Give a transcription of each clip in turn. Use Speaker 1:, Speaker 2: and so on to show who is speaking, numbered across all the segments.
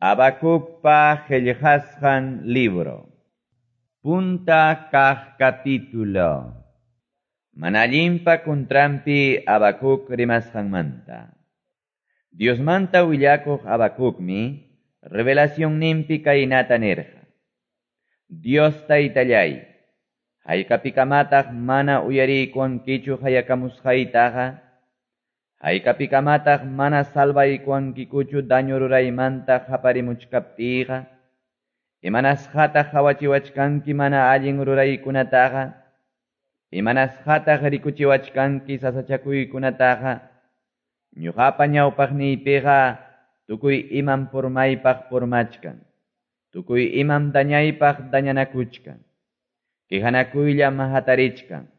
Speaker 1: Habacucpa qillqasqan libro. Punta kaq capítulo. Mana allinpa kuntranpi Habacuc rimasqanmanta. Diosmanta willakuq Habacucmi revelacionninpi kaynata nirqa. Dios taytallay, haykapikamataq mana uyariykuwankichu qayakamusqaytaqa? Haykapikamataq mana salvaykuwankikuchu daño ruraymanta qaparimuchkaptiyqa? Imanasqataq qawachiwachkanki mana allin ruraykunataqa? Imanasqataq rikuchiwachkanki sasachakuykunataqa? Ñuqapa ñawpaqniypiqa tukuy imam purmaypaq purmachkan, tukuy imam dañaypaq dañanakuchkan, quejanakuyllam hatarichkan,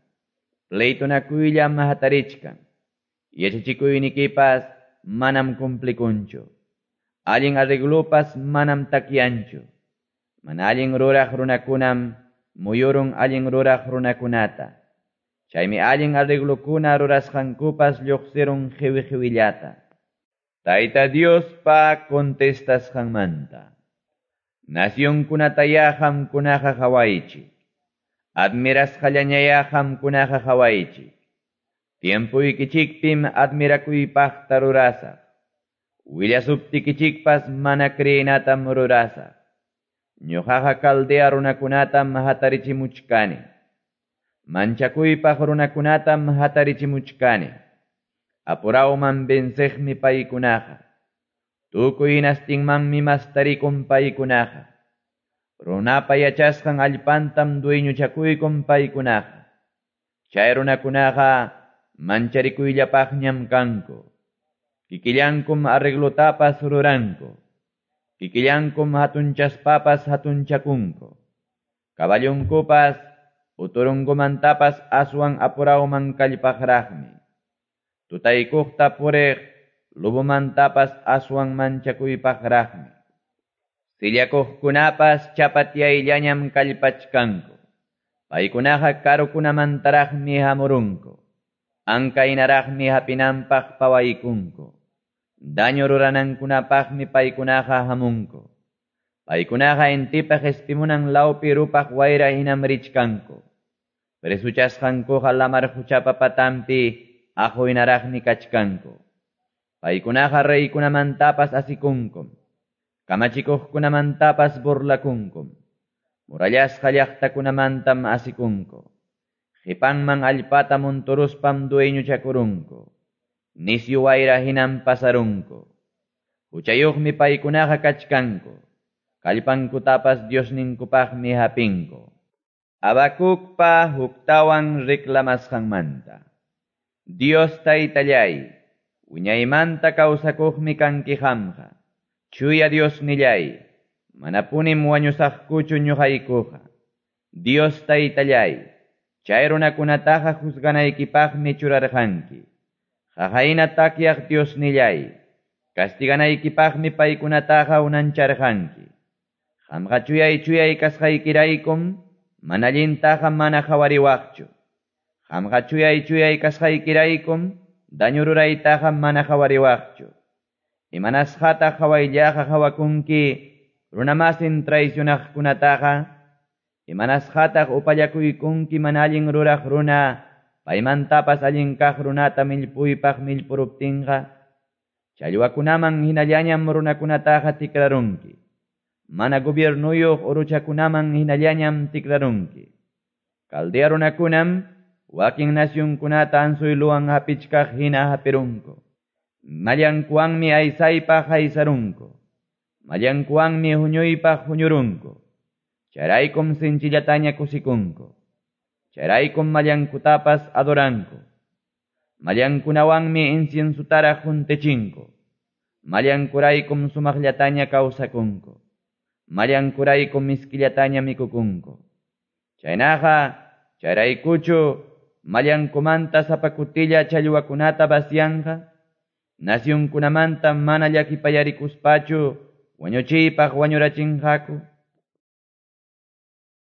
Speaker 1: pleitonakuylla hatarichkan. Yachachikuynikipas manam cumplikunchu, allin arreglopas manam takyanchu. Mana allin ruraq runakunam muyurun allin ruraq runakunata. Chaymi allin arreglokuna rurasqankupas lluqsirun qiwi-qiwillata. Tayta Diospa contestasqanmanta. Nacionkunatayá qamkunaqa qawaychik. Admirasqallañayá qamkunaqa qawaychik. Tiempuykichikpim admirakuypaqta rurasaq. Willasuptikichikpas mana creenatam rurasaq. Ñuqaqa Caldea runakunatam hatarichimuchkani. Manchakuypaq runakunatam hatarichimuchkani. Apurawman venceqmi paykunaqa. Tukuy hinastinmanmi mastarikun paykunaqa. Runapa yachasqan allpantam dueñochakuykun paykunaqa. Chay runakunaqa mancharikuyllapaqñam kanku. Kikillankum arreglotapas ruranku. Kikillankum hatunchaspapas hatunchakunku. Caballunkupas uturunkumantapas aswan apurawman kallpaqraqmi. Tutaykuqta puriq lobomantapas aswan manchakuypaqraqmi. Sillakuqkunapas chapatiyayllañam kallpachkanku. Paykunaqa karukunamantaraqmi hamurunku. Ankaynaraqmi hapinanpaq pawaykunku. Daño ruranankunapaqmi paykunaqa hamunku. Paykunaqa intipa qespimunan lawpi rupaq wayra hinam richkanku. Presuchasqankuqa lamar quchapa patanpi aquynaraqmi kachkanku. Paykunaqa reykunamantapas asikunkum. Kamachikuqkunamantapas burlakunkum. Murallasqa llaqtakunamantam asikunku. Qipanman allpata munturuspam dueñochakurunku. Nisyu wayra hinam pasarunku. Huchayuqmi paykunaqa kachkanku. Kallpankutapas Diosninkupaqmi hapinku. Habacucpa huktawan reclamasqanmanta. Dios taytallay, wiñaymanta kawsakuqmi kanki qamqa. Chuya Diosnillay, manapunim wañusaqkuchu ñuqaykuqa. Dios taytallay, chay runakunataqa juzganaykipaqmi churarqanki. Qaqayna takyaq Diosnillay, castiganaykipaqmi paykunataqa unancharqanki. Qamqa chuyay chuyay kasqaykiraykum, mana allintaqa mana qhawariwaqchu. Qamqa chuyay chuyay kasqaykiraykum, daño ruraytaqa mana qhawariwaqchu. Imanasqataq qhawayllaqa qhawakunki runamasin traicionaqkunataqa? Imanasqataq upallakuykunki mana allin ruraq runa, paymantapas allin kaq runata millpuypaq millpuruptinqa? Challwakunaman hinallañam runakunataqa tikrarunki. Mana gobiernuyuq uruchakunaman hinallañam tikrarunki. Caldea runakunam wakin nacionkunata anzuyluwan hapichkaq hina hapirunku. Mallankuwanmi aysaypaq aysarunku. Mallankuwanmi huñuypaq huñurunku. Chayraykum sinchillataña kusikunku. Chayraykum mallankutapas adoranku. Mallankunawanmi inciensutaraq juntechinku. Mallankuraykum sumaqllataña kawsakunku. Mallankuraykum miskillataña mikukunku. Chaynaqa, chayraykuchu mallankumanta sapakutilla challwakunata vacianqa? Nacionkunamanta mana llakipayarikuspachu wañuchiypaq wañurachinqaku?